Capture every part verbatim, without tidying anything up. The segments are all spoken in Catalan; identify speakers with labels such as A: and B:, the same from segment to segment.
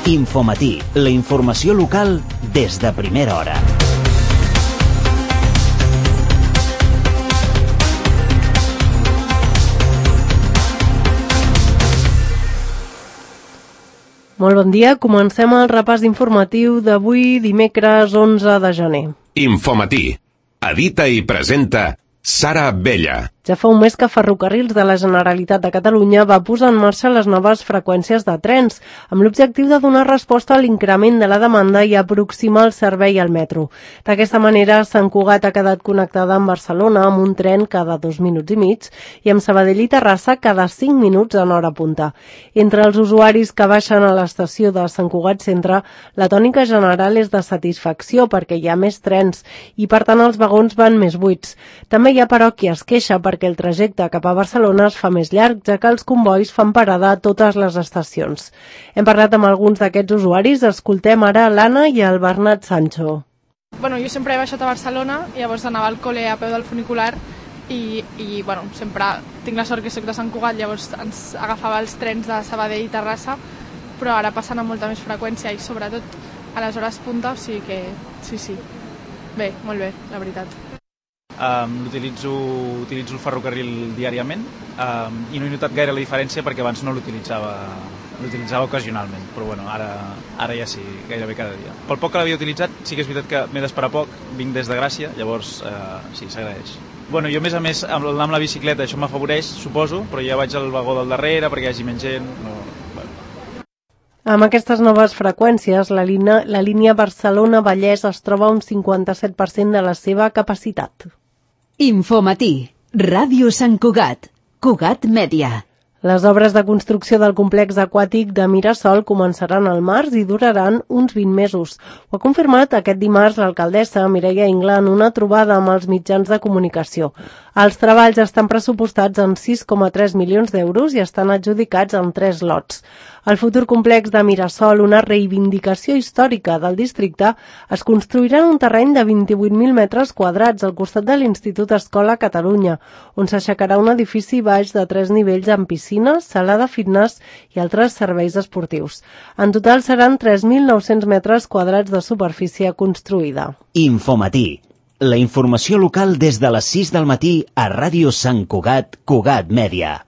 A: Infomatí, la informació local des de primera hora.
B: Molt bon dia, comencem el repàs informatiu d'avui, dimecres onze de gener.
C: Infomatí. Edita i presenta Sara Abella.
B: Ja fa un mes que Ferrocarrils de la Generalitat de Catalunya va posar en marxa les noves freqüències de trens, amb l'objectiu de donar resposta a l'increment de la demanda i aproximar el servei al metro. D'aquesta manera, Sant Cugat ha quedat connectada amb Barcelona amb un tren cada dos minuts i mig i amb Sabadell i Terrassa cada cinc minuts en hora punta. Entre els usuaris que baixen a l'estació de Sant Cugat Centre, la tònica general és de satisfacció perquè hi ha més trens i, per tant, els vagons van més buits. També hi ha, però, qui es queixa perquè el trajecte cap a Barcelona es fa més llarg, ja que els convois fan parada a totes les estacions. Hem parlat amb alguns d'aquests usuaris, escoltem ara l'Anna i el Bernat Sancho.
D: Bueno, jo sempre he baixat a Barcelona, i llavors anava al col·le a peu del funicular i, i bueno, sempre tinc la sort que soc de Sant Cugat, llavors ens agafava els trens de Sabadell i Terrassa, però ara passen amb molta més freqüència i sobretot a les hores punta, o sigui que sí, sí. Bé, molt bé, la veritat.
E: Um, utilitzo, utilitzo el ferrocarril diàriament um, i no he notat gaire la diferència perquè abans no l'utilitzava l'utilitzava ocasionalment, però bueno, ara, ara ja sí, gairebé cada dia. Pel poc que l'havia utilitzat, sí que és veritat que m'he d'esperar poc, vinc des de Gràcia, llavors uh, sí, s'agraeix. Bueno, jo a més a més, amb, amb la bicicleta això m'afavoreix, suposo, però ja vaig al vagó del darrere perquè hi hagi menys gent. No, bueno.
B: Amb aquestes noves freqüències, la línia, la línia Barcelona-Vallès es troba a un cinquanta-set per cent de la seva capacitat.
F: Infomatí, Ràdio Sant Cugat, Cugat Mèdia.
B: Les obres de construcció del complex aquàtic de Mirasol començaran al març i duraran uns vint mesos. Ho ha confirmat aquest dimarts l'alcaldessa Mireia Ingla en una trobada amb els mitjans de comunicació. Els treballs estan pressupostats en sis coma tres milions d'euros i estan adjudicats en tres lots. El futur complex de Mirasol, una reivindicació històrica del districte, es construirà en un terreny de vint-i-vuit mil metres quadrats al costat de l'Institut Escola Catalunya, on s'aixecarà un edifici baix de tres nivells amb piscina, sala de fitness i altres serveis esportius. En total seran tres mil nou-cents metres quadrats de superfície construïda.
A: Infomatí, la informació local des de les sis del matí a Ràdio Sant Cugat, Cugat Mèdia.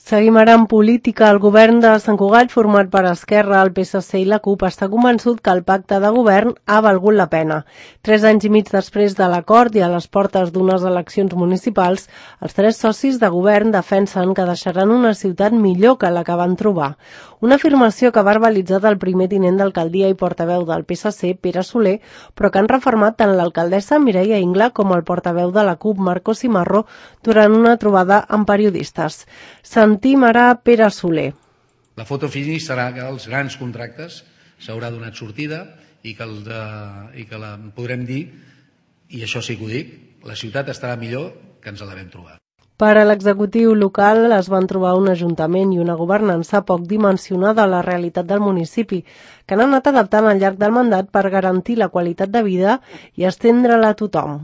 B: Seguim ara en política. El govern de Sant Cugat, format per Esquerra, el P S C i la CUP, està convençut que el pacte de govern ha valgut la pena. Tres anys i mig després de l'acord i a les portes d'unes eleccions municipals, els tres socis de govern defensen que deixaran una ciutat millor que la que van trobar. Una afirmació que ha verbalitzat el primer tinent d'alcaldia i portaveu del P S C, Pere Soler, però que han refermat tant l'alcaldessa Mireia Ingla com el portaveu de la CUP, Marco Cimarro, durant una trobada amb periodistes. Sentim ara Pere Soler.
G: La foto finish serà que els grans contractes s'haurà donat sortida i que, el de, i que la podrem dir, i això sí que ho dic, la ciutat estarà millor que ens la vam trobar.
B: Per a l'executiu local es van trobar un ajuntament i una governança poc dimensionada a la realitat del municipi, que han anat adaptant al llarg del mandat per garantir la qualitat de vida i estendre-la a tothom.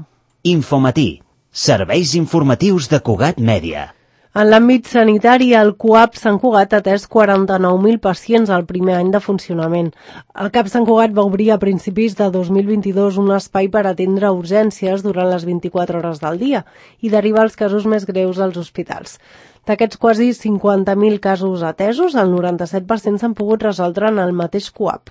A: Infomatí, serveis informatius de Cugat Mèdia.
B: En l'àmbit sanitari, el CUAP Sant Cugat ha atès quaranta-nou mil pacients al primer any de funcionament. El CAP Sant Cugat va obrir a principis de dos mil vint-i-dos un espai per atendre urgències durant les vint-i-quatre hores del dia i derivar els casos més greus als hospitals. D'aquests quasi cinquanta mil casos atesos, el noranta-set per cent s'han pogut resoldre en el mateix CUAP.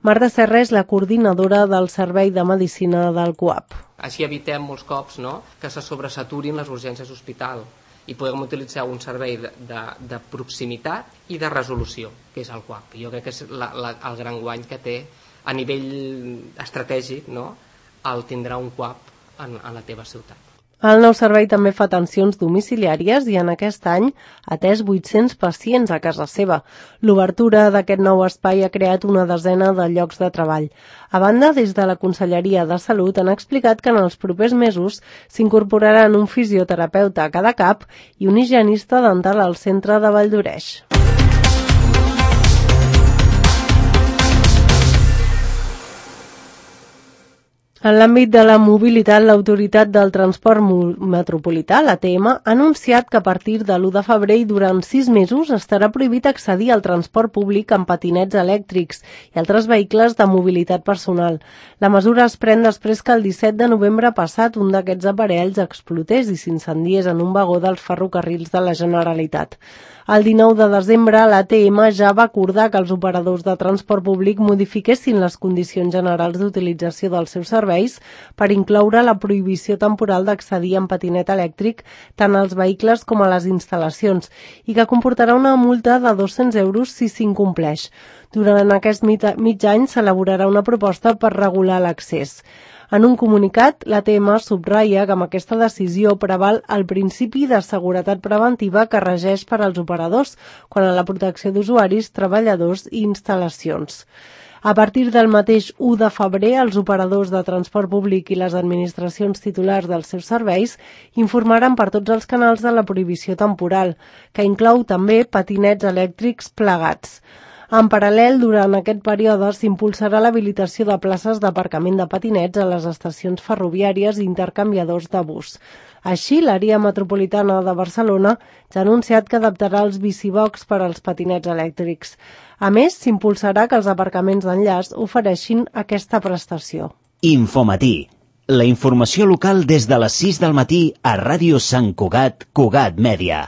B: Marta Serra és la coordinadora del Servei de Medicina del CUAP.
H: Així evitem molts cops, no?, que se sobresaturin les urgències d'hospital i podem utilitzar un servei de, de, de proximitat i de resolució, que és el CUAP. Jo crec que és la, la, el gran guany que té a nivell estratègic, no?, el tindrà un CUAP en, en la teva ciutat.
B: El nou servei també fa atencions domiciliàries i en aquest any ha atès vuit-cents pacients a casa seva. L'obertura d'aquest nou espai ha creat una desena de llocs de treball. A banda, des de la Conselleria de Salut han explicat que en els propers mesos s'incorporaran un fisioterapeuta a cada CAP i un higienista dental al centre de Valldoreix. En l'àmbit de la mobilitat, l'Autoritat del Transport Metropolità, l'A T M, ha anunciat que a partir de l'u de febrer i durant sis mesos estarà prohibit accedir al transport públic amb patinets elèctrics i altres vehicles de mobilitat personal. La mesura es pren després que el disset de novembre passat un d'aquests aparells explotés i s'incendiés en un vagó dels ferrocarrils de la Generalitat. El dinou de desembre, l'A T M ja va acordar que els operadors de transport públic modifiquessin les condicions generals d'utilització dels seus serveis per incloure la prohibició temporal d'accedir en patinet elèctric tant als vehicles com a les instal·lacions i que comportarà una multa de dos-cents euros si s'incompleix. Durant aquest mig any s'elaborarà una proposta per regular l'accés. En un comunicat, l'A T M subratlla que amb aquesta decisió preval el principi de seguretat preventiva que regeix per als operadors quant a la protecció d'usuaris, treballadors i instal·lacions. A partir del mateix u de febrer, els operadors de transport públic i les administracions titulars dels seus serveis informaran per tots els canals de la prohibició temporal, que inclou també patinets elèctrics plegats. En paral·lel, durant aquest període s'impulsarà l'habilitació de places d'aparcament de patinets a les estacions ferroviàries i intercanviadors de bus. Així, l'àrea metropolitana de Barcelona ja ha anunciat que adaptarà els bicibox per als patinets elèctrics. A més, s'impulsarà que els aparcaments d'enllaç ofereixin aquesta prestació.
A: Infomatí. La informació local des de les sis del matí a Ràdio Sant Cugat, Cugat Mèdia.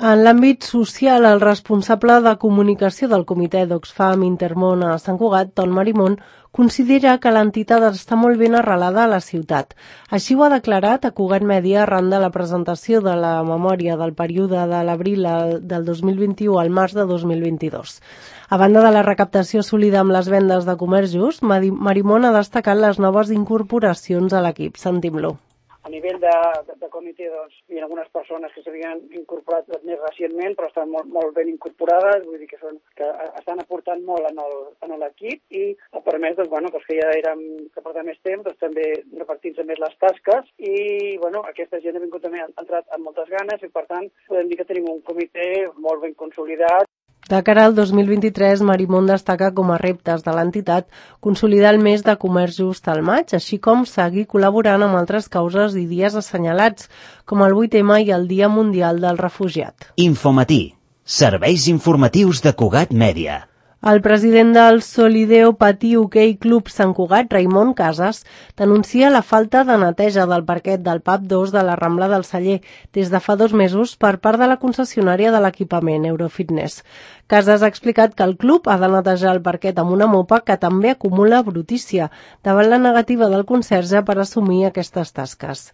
B: En l'àmbit social, el responsable de comunicació del comitè d'Oxfam Intermón a Sant Cugat, Ton Marimón, considera que l'entitat està molt ben arrelada a la ciutat. Així ho ha declarat a Cugat Mèdia arran de la presentació de la memòria del període de l'abril del dos mil vint-i-u al març de dos mil vint-i-dos. A banda de la recaptació assolida amb les vendes de comerç just, Marimón ha destacat les noves incorporacions a l'equip. Sentim-lo.
I: A nivell de, de, de comitè, doncs, hi ha algunes persones que s'havien incorporat més recentment, però estan molt, molt ben incorporades, vull dir que, són, que estan aportant molt en, el, en l'equip i ha permès doncs, bueno, doncs, que ja érem que portem més temps, doncs, també repartint-se més les tasques i bueno, aquesta gent ha vingut també, ha entrat amb moltes ganes i per tant podem dir que tenim un comitè molt ben consolidat.
B: De cara al dos mil vint-i-tres, Marimón destaca com a reptes de l'entitat consolidar el mes de comerç just al maig, així com seguir col·laborant amb altres causes i dies assenyalats, com el vuit ema i el Dia Mundial del Refugiat.
A: Infomatí. Serveis informatius de Cugat Mèdia.
B: El president del Solideo Patí Hoquei Club Sant Cugat, Raimon Casas, denuncia la falta de neteja del parquet del pub dos de la Rambla del Celler des de fa dos mesos per part de la concessionària de l'equipament Eurofitness. Casas ha explicat que el club ha de netejar el parquet amb una mopa que també acumula brutícia davant la negativa del conserge per assumir aquestes tasques.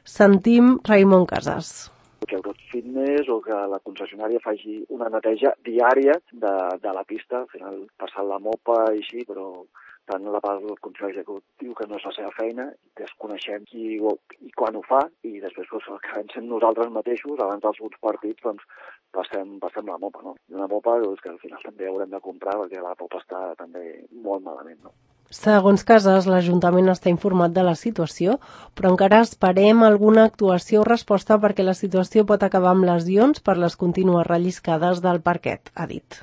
B: Sentim Raimon Casas.
J: Que Eurofitness o que la concessionària faci una neteja diària de, de la pista, al final passant la mopa i així, però tant la part del Consell Executiu que no és la seva feina, desconeixem qui i quan ho fa i després doncs, acabem sent nosaltres mateixos, abans dels uns partits, doncs passem, passem la mopa, no? I una mopa doncs, que al final també haurem de comprar perquè la mopa està també molt malament, no?
B: Segons Casas, l'Ajuntament està informat de la situació, però encara esperem alguna actuació o resposta perquè la situació pot acabar amb lesions per les contínues relliscades del parquet, ha dit.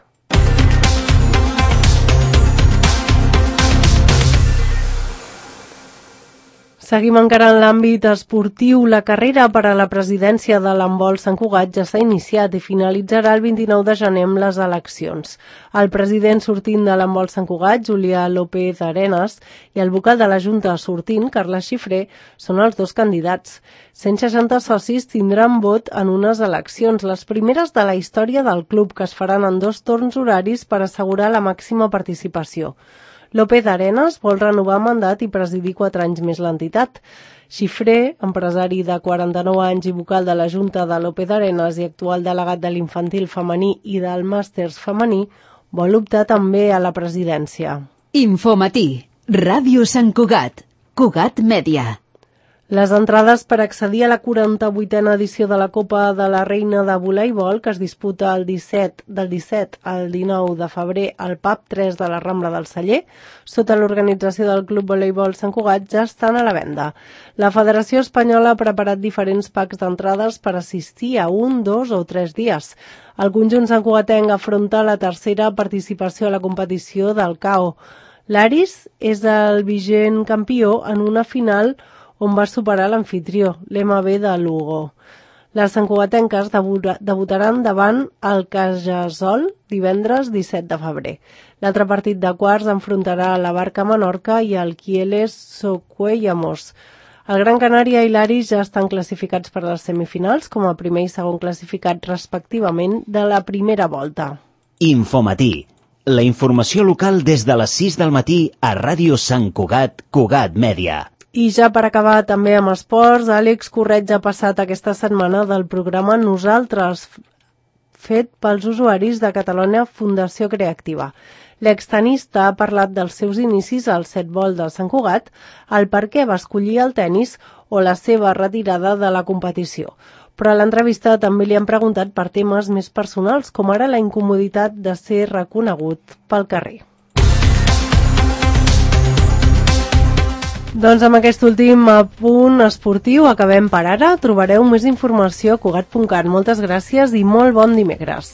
B: Seguim encara en l'àmbit esportiu. La carrera per a la presidència de l'handbol Sant Cugat ja s'ha iniciat i finalitzarà el vint-i-nou de gener amb les eleccions. El president sortint de l'handbol Sant Cugat, Julià López Arenas, i el vocal de la Junta sortint, Carles Xifré, són els dos candidats. cent seixanta socis tindran vot en unes eleccions, les primeres de la història del club, que es faran en dos torns horaris per assegurar la màxima participació. López Arenas vol renovar mandat i presidir quatre anys més l'entitat. Xifré, empresari de quaranta-nou anys i vocal de la Junta de López Arenas i actual delegat de l'infantil femení i del màsters femení, vol optar també a la presidència.
F: Infomatí. Ràdio Sant Cugat. Cugat Mèdia.
B: Les entrades per accedir a la quaranta-vuitena edició de la Copa de la Reina de Voleibol, que es disputa el disset, del disset al dinou de febrer al pub tres de la Rambla del Celler, sota l'organització del Club Voleibol Sant Cugat, ja estan a la venda. La Federació Espanyola ha preparat diferents packs d'entrades per assistir a un, dos o tres dies. El conjunt santcugatenc afronta la tercera participació a la competició del C A O. L'Aris és el vigent campió en una final on va superar l'anfitrió, l'M B de Lugo. Les santcugatenques debutaran davant el Cajasol divendres disset de febrer. L'altre partit de quarts enfrontarà la Barca Menorca i el Kieles Socuellamos. El Gran Canària i l'Aris ja estan classificats per a les semifinals com a primer i segon classificat respectivament de la primera volta.
A: Infomatí. La informació local des de les sis del matí a Ràdio Sant Cugat, Cugat Mèdia.
B: I ja per acabar també amb esports, Àlex Correig ha passat aquesta setmana del programa Nosaltres, fet pels usuaris de Catalunya Fundació Creativa. L'extenista ha parlat dels seus inicis al setbol de Sant Cugat, el per què va escollir el tennis o la seva retirada de la competició. Però a l'entrevista també li han preguntat per temes més personals, com ara la incomoditat de ser reconegut pel carrer. Doncs amb aquest últim apunt esportiu acabem per ara. Trobareu més informació a cugat punt cat. Moltes gràcies i molt bon dimecres.